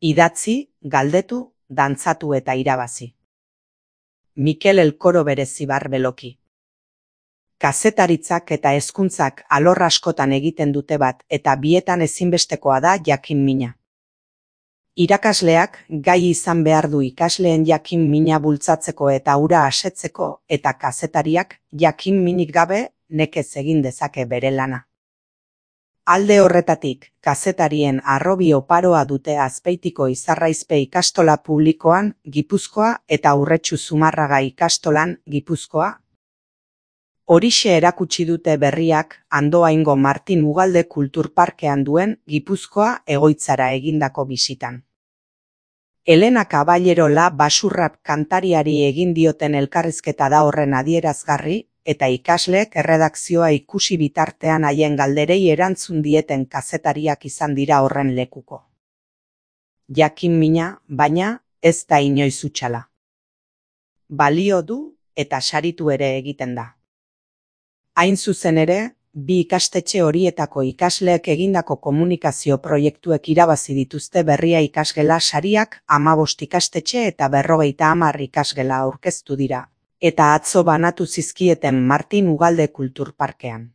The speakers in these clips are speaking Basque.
Idatzi, galdetu, dantzatu eta irabazi. Mikel Elkoro Berezibar Beloki. Kazetaritzak eta hezkuntzak alor askotan egiten dute bat eta bietan ezinbestekoa da jakin mina. Irakasleak gai izan behar du ikasleen jakin mina bultzatzeko eta hura asetzeko eta kazetariak jakin minik gabe nekez egin dezake bere lana. Alde horretatik, kazetarien harrobi oparoa dute Azpeitiko Izarraizpe ikastola publikoan, Gipuzkoa eta Urretxu Zumarraga ikastolan, Gipuzkoa. Horixe erakutsi dute berriak Andoaingo Martin Ugalde Kulturparkean duen Gipuzkoa egoitzara egindako bisitan. Elena Caballero La Basurrap kantariari egin dioten elkarrizketa da horren adierazgarri, eta ikasleek erredakzioa ikusi bitartean haien galderei erantzun dieten kazetariak izan dira horren lekuko. Jakin mina, baina, ez da inoiz hutsala. Balio du eta saritu ere egiten da. Hain zuzen ere, bi ikastetxe horietako ikasleek egindako komunikazio proiektuek irabazi dituzte berria ikasgela sariak 15 ikastetxe eta 50 ikasgela aurkeztu dira, eta atzo banatu zizkieten Martin Ugalde Kulturparkean.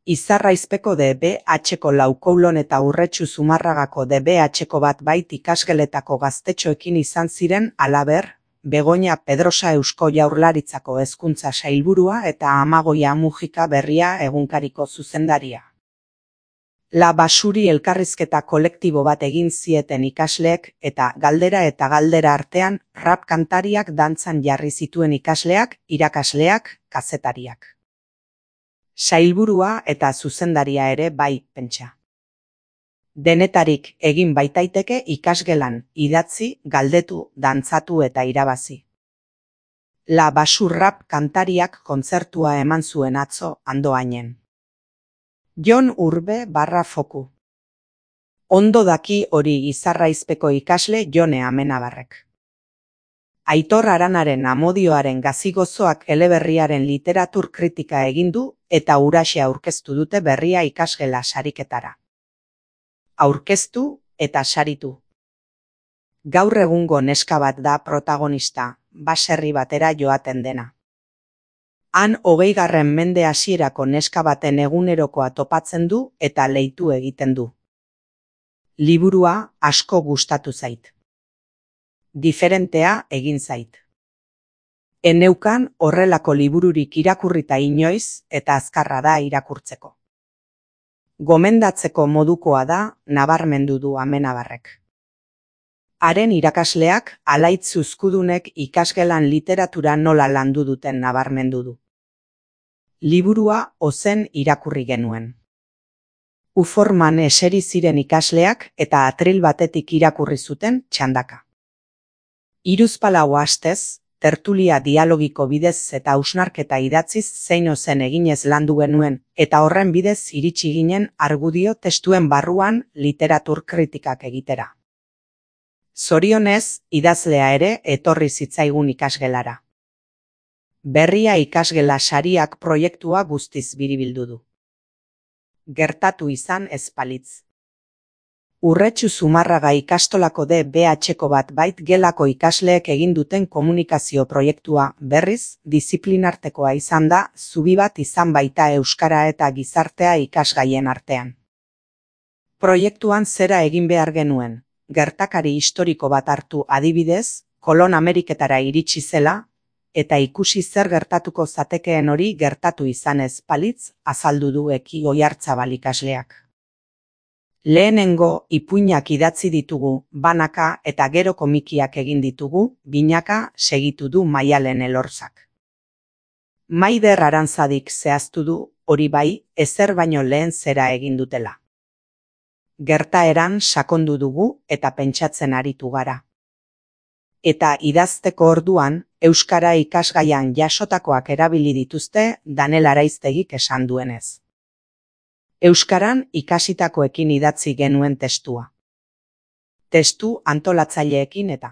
Izarraizpeko DBH-ko Laukoulon eta Urretxu Zumarragako DBH-ko bat bait ikasgeletako gaztetxoekin izan ziren halaber, Begoña Pedrosa Eusko Jaurlaritzako hezkuntza sailburua eta Amagoia Mujika Berria egunkariko zuzendaria. La Basuri elkarrizketa kolektibo bat egin zieten ikasleek eta galdera artean rap kantariak dantzan jarri zituen ikasleak, irakasleak, kazetariak. Sailburua eta zuzendaria ere bai, pentsa. Denetarik egin baitaiteke ikasgelan, idatzi, galdetu, dantzatu eta irabazi. La Basurrap kantariak kontzertua eman zuen atzo Andoainen. Jon Urbe /Foku. Ondo daki hori Izarraizpeko ikasle Jone Amenabarrek. Aitor Aranaren Amodioaren gazigozoak eleberriaren literatur kritika egin du eta huraxe aurkeztu dute berria ikasgela sariketara. Aurkeztu eta saritu. Gaur egungo neska bat da protagonista, baserri batera joaten dena. Han 20. mende hasierako neska baten egunerokoa topatzen du eta leitu egiten du. Liburua asko gustatu zait. Diferentea egin zait. Eneukan horrelako libururik irakurrita inoiz eta azkarra da irakurtzeko. Gomendatzeko modukoa da, nabarmendu du Amenabarrek. Haren irakasleak Alaitz Zuzkudunek ikasgelan literatura nola landu duten nabarmendu du. Liburua ozen irakurri genuen. Uforman eseri ziren ikasleak eta atril batetik irakurri zuten txandaka. 3 astez, tertulia dialogiko bidez eta hausnarketa idatziz zein ozen eginez landu genuen, eta horren bidez iritsi ginen argudio testuen barruan literatur kritikak egitera. Zorionez, idazlea ere etorri zitzaigun ikasgelara. Berria ikasgela sariak proiektua guztiz biribildu du. Gertatu izan ez balitz. Urretxu Zumarraga ikastolako DBH-ko bat bait gelako ikasleek egin duten komunikazio proiektua berriz, disiplinartekoa izan da, zubi bat izan baita euskara eta gizartea ikasgaien artean. Proiektuan zera egin behar genuen, gertakari historiko bat hartu adibidez, Kolon Ameriketara iritsi zela, eta ikusi zer gertatuko zatekeen hori gertatu izan ez balitz, azaldu du Eki Oiartzabal ikasleak. Lehenengo ipuinak idatzi ditugu, banaka eta gero komikiak egin ditugu, binaka segitu du Maialen Elorzak. Maider Arantzadik zehaztu du, hori bai, ezer baino lehen zera egin dutela. Gertaeran sakondu dugu eta pentsatzen aritu gara. Eta idazteko orduan, euskara ikasgaian jasotakoak erabili dituzte Danel Araiztegik esan duenez. Euskaran ikasitakoekin idatzi genuen testua. Testu antolatzaileekin eta.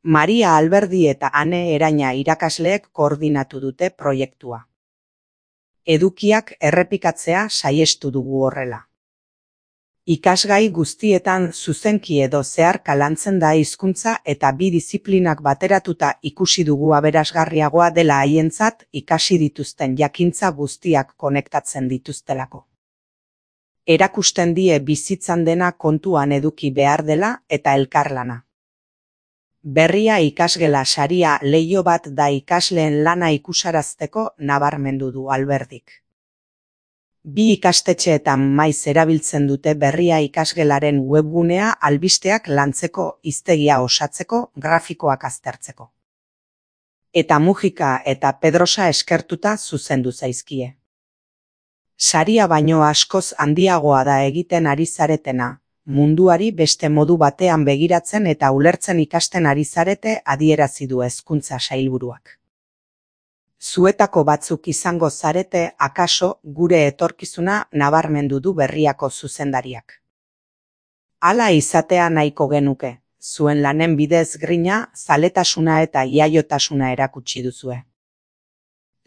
Maria Alberdi eta Ane Eraina irakasleek koordinatu dute proiektua. Edukiak errepikatzea saiestu dugu horrela. Ikasgai guztietan zuzenki edo zeharka lantzen da hizkuntza eta bi diziplinak bateratuta ikusi dugu aberasgarriagoa dela haientzat ikasi dituzten jakintza guztiak konektatzen dituztelako. Erakusten die bizitzan dena kontuan eduki behar dela eta elkarlana. Berria ikasgela saria leiho bat da ikasleen lana ikusarazteko nabarmendu du Alberdik. Bi ikastetxeetan maiz erabiltzen dute berria ikasgelaren webgunea albisteak lantzeko, hiztegia osatzeko, grafikoak aztertzeko. Eta Mujika eta Pedrosa eskertuta zuzendu zaizkie. Saria baino askoz handiagoa da egiten ari zaretena, munduari beste modu batean begiratzen eta ulertzen ikasten ari zarete adierazi du Hezkuntza Sailburuak. Zuetako batzuk izango zarete akaso gure etorkizuna nabarmendu du berriako zuzendariak. Hala izatea nahiko genuke, zuen lanen bidez grina, zaletasuna eta iaiotasuna erakutsi duzue.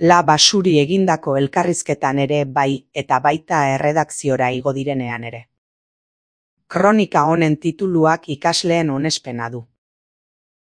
La Basuri egindako elkarrizketan ere bai eta baita erredakziora igo direnean ere. Kronika honen tituluak ikasleen onespena du.